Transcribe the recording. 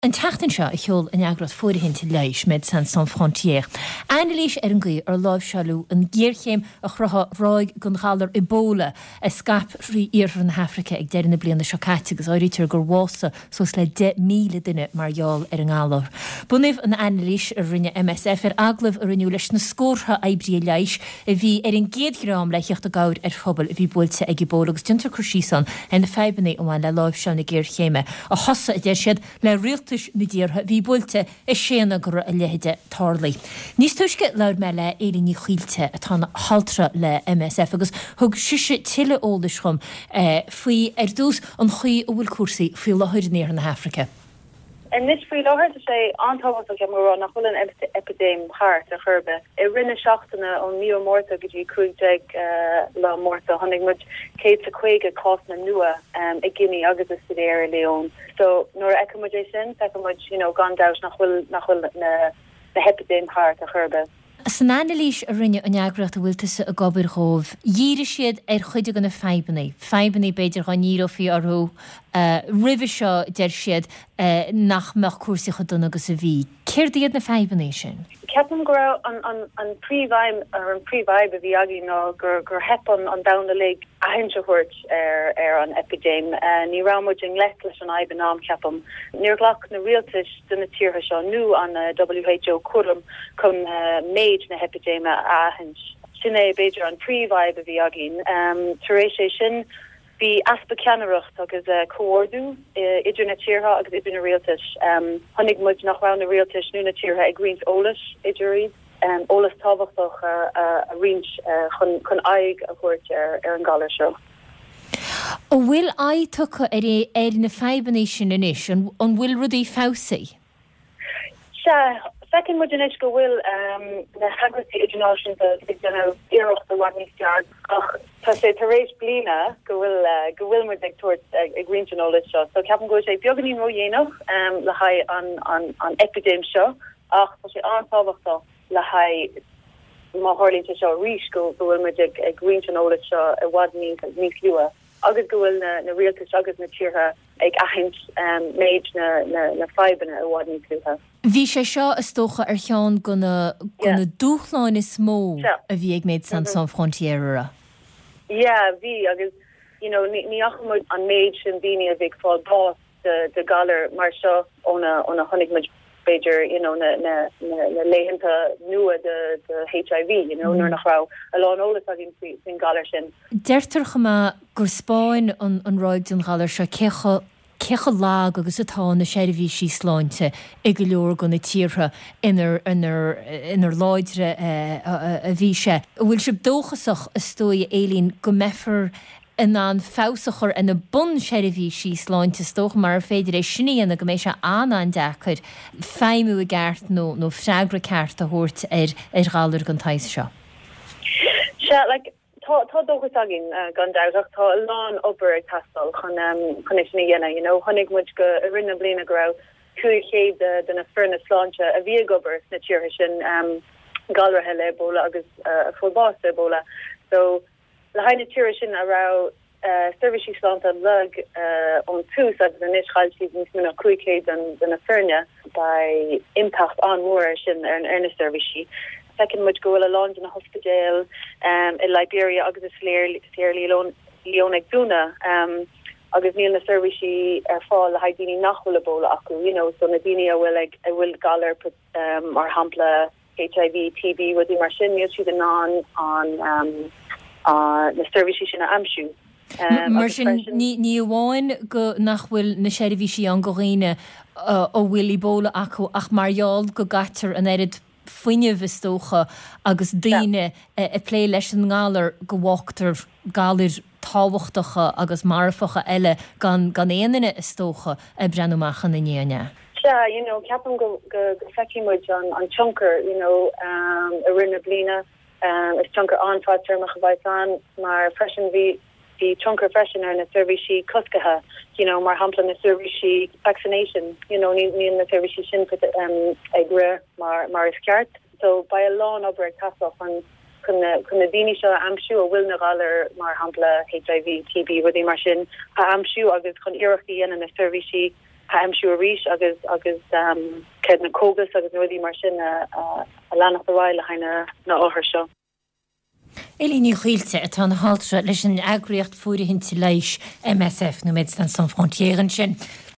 An tseachtain seo a sheol an eagraíocht fóirithinte leighis, Médecins Sans Frontières, anailís ar an gcaoi ar láimhseáileadh an ghéarchéim a chruthaigh ráig den ghalar Ebola a scaip thrí iarthar na hAfraice ag deireadh na bliana seo caite agus áirítear gur bhásaigh suas le 10,000 duine mar gheall ar an ngalar. Bunaíodh an anailís a rinne MSF ar agallaimh a rinneadh leis na scórtha oibrithe leighis a bhí ar an gcéad dhream le theacht i gcabhair ar phobail a bhí buailte ag Ebola agus déantar cur síos ann ar na fadhbanna a bhain le láimhseáil na géarchéime a thosaigh, a deir siad, le rialtais na dtíortha a bhí buailte ag séanadh go raibh a leithide tarlaithe. Níos túisce labhair mé le Éilín Ní Chaoilte atá ina haltra le MSF agus thug sise tuilleadh eolais dhom faoi, ar dtús, an chaoi a bhfuil cúrsaí faoi láthair in iarthar na hAfraice. Anois faoi láthair tá sé an-tábhachtach ceapaim a rá nach bhfuil an eipidéim thart ar chor ar bith. I rith na seachtaine ón mí Márta go dtí 15 lá Márta chonaic muid 150 cásanna nua i Guinea agus i Siarra Leone. So nuair a fheiceann muid é sin feiceann muid you know gan dabht nach bhfuil nach bhfuil na na heipidéim thart ar chor ar bith. San anailís a rinne an eagraíocht a bhfuil tusa ag obair dhóibh, dhírigh siad ar chuid de na fadhbanna, fadhbanna b'fhéidir dá ndíreofaí orthu roimhe seo, deir siad, nach mbeadh cúrsaí chomh dona agus a bhí. Céard iad na fadhbanna sin? Ceapaim go raibh an príomhaidhm, or an príomhfhadhb a bhí againn ná gur theip an domhan uilig aithint a thabhairt ar an eipidéim. Ní raibh muid i ngleic leis an fhadhb in am, ceapaim. Níor ghlac na rialtais de na tíortha seo nó an WHO cúram chun méid na heipidéime a aithint. Sin é, b'fhéidir, an príomhfhadhb a bhí againn. Tar éis é sin, bhí easpa ceannaireacht agus comhordú idir na tíortha agus idir na rialtais. Chonaic muid nach raibh na rialtais nó na tíortha ag roinnt eolais idir iad, eolas tábhachtach a roinnt chun aghaidh a thabhairt ar an galar seo. An bhfuil aghaidh tugtha ar ar na fadhbanna sin anois? An bhfuil rudaí feabhsaithe? Sea, feiceann muid anois go bhfuil na heagraíochtaí idirnáisiúnta ag déanamh iarracht i bhfad níos fearr ach tá sé tar éis bliana go bhfuil go bhfuil muid ag tabhairt ag roinnt an eolais seo so ceapaim go bhfuil sé beagáinín ródhéanach le haghaidh an an an eipidéim seo ach tá sé an-tábhachtach le haghaidh má tharlaíonn sé seo arís go bhfuil muid ag roinnt an eolais seo i bhfad níos luaithe agus go bhfuil na rialtais agus na tíortha ag aithint méid na fadhbanna i bhfad níos luaithe. Bhí sé seo, is dócha, ar cheann de na dúshláin is mó a bhí ag Médecins Sans Frontières, an raibh? Yeah, bhí agus you know ní fhaca muid an méid sin daoine a bhí ag fáil bás de ghalar mar seo óna óna chonaic muid b'fhéidir you know na na na laethanta nua de de HIV you know nuair nach raibh a lán eolas againn faoi faoin galar sin. Deirtear chomh maith gur 'spáin an an ráig den ghalar seo cé chomh cé chomh lag agus atá na seirbhísí sláinte i go leor de na tíortha inar inar inar láidre a bhí sé. An bhfuil sibh dóchasach, is dóigh, a Éilín, go mbeifear in ann feabhas a chur ar na bunseirbhísí sláinte, is dócha, marar féidir é sin a dhéanamh, go mbeidh sé an-an-deacair feidhmiú i gceart nó nó freagra ceart a thabhairt ar ar ghalar den tsaghas seo. Sea, like, tá tá dóchas againn, gan dabht, ach tá a lán obair ag teastáil chun chun é sin a dhéanamh, you know. Chonaic muid go i rith na bliana go raibh 500 de de na foirne sláinte a bhí ag obair sna tíortha sin galraithe le Ebola agus a fuair bás de Ebola. So, Le haghaidh na tíortha sin a raibh seirbhísí sláinte lag ón tús agus anois chaill siad níos mó ná 500 de na foirne, beidh impeacht an-mhór air sin ar na seirbhísí. Feiceann muid go bhfuil a lán de na hospidéil i Liberia agus i Sierra Leone ag dúnadh agus níl na seirbhísí ar fáil le haghaidh daoine nach bhfuil Ebola acu, you know, so na daoine a bhfuil ag a bhfuil galar mar shampla HIV, TB, rudaí mar sin, níl siad in ann an na seirbhísí sin a aimsiú. Mar sin, ní amháin go nach bhfuil na seirbhísí ann go dhaoine a bhfuil Ebola acu ach mar gheall go gcaitear an oiread fuinnimh, is dócha, agus daoine ag plé leis an ngalar go bhfágtar galair tábhachtacha agus marfacha eile gan gan aon duine, is dócha, ag breathnú amach ina ndiaidh, an ea? Sea, you know, ceapaim go go go feicfidh muid an an tionchar, you know, i rith na bliana. Is tionchar an-fhadtéarmach a bheas ann mar freisin bhí bhí tionchar freisin ar na seirbhísí cosctha, you know, mar shampla na seirbhísí vaccination, you know, níl níl na seirbhísí sin ag rith mar mar is ceart. So beidh a lán obair ag teastáil chun chun na chun na daoine seo a aimsiú a bhfuil na galair mar shampla HIV, TB, rudaí mar sin a aimsiú agus chun iarracht a dhéanamh na seirbhísí. aimsiú arís agus agus céard na cógais agus na rudaí mar sin a a leanacht ar aghaidh le haghaidh na na othair seo. Eilín Ní Chaoilte, atá ina haltra leis an eagraíocht fóirithinte leighis MSF, nó Médecins Sans Frontières ansin.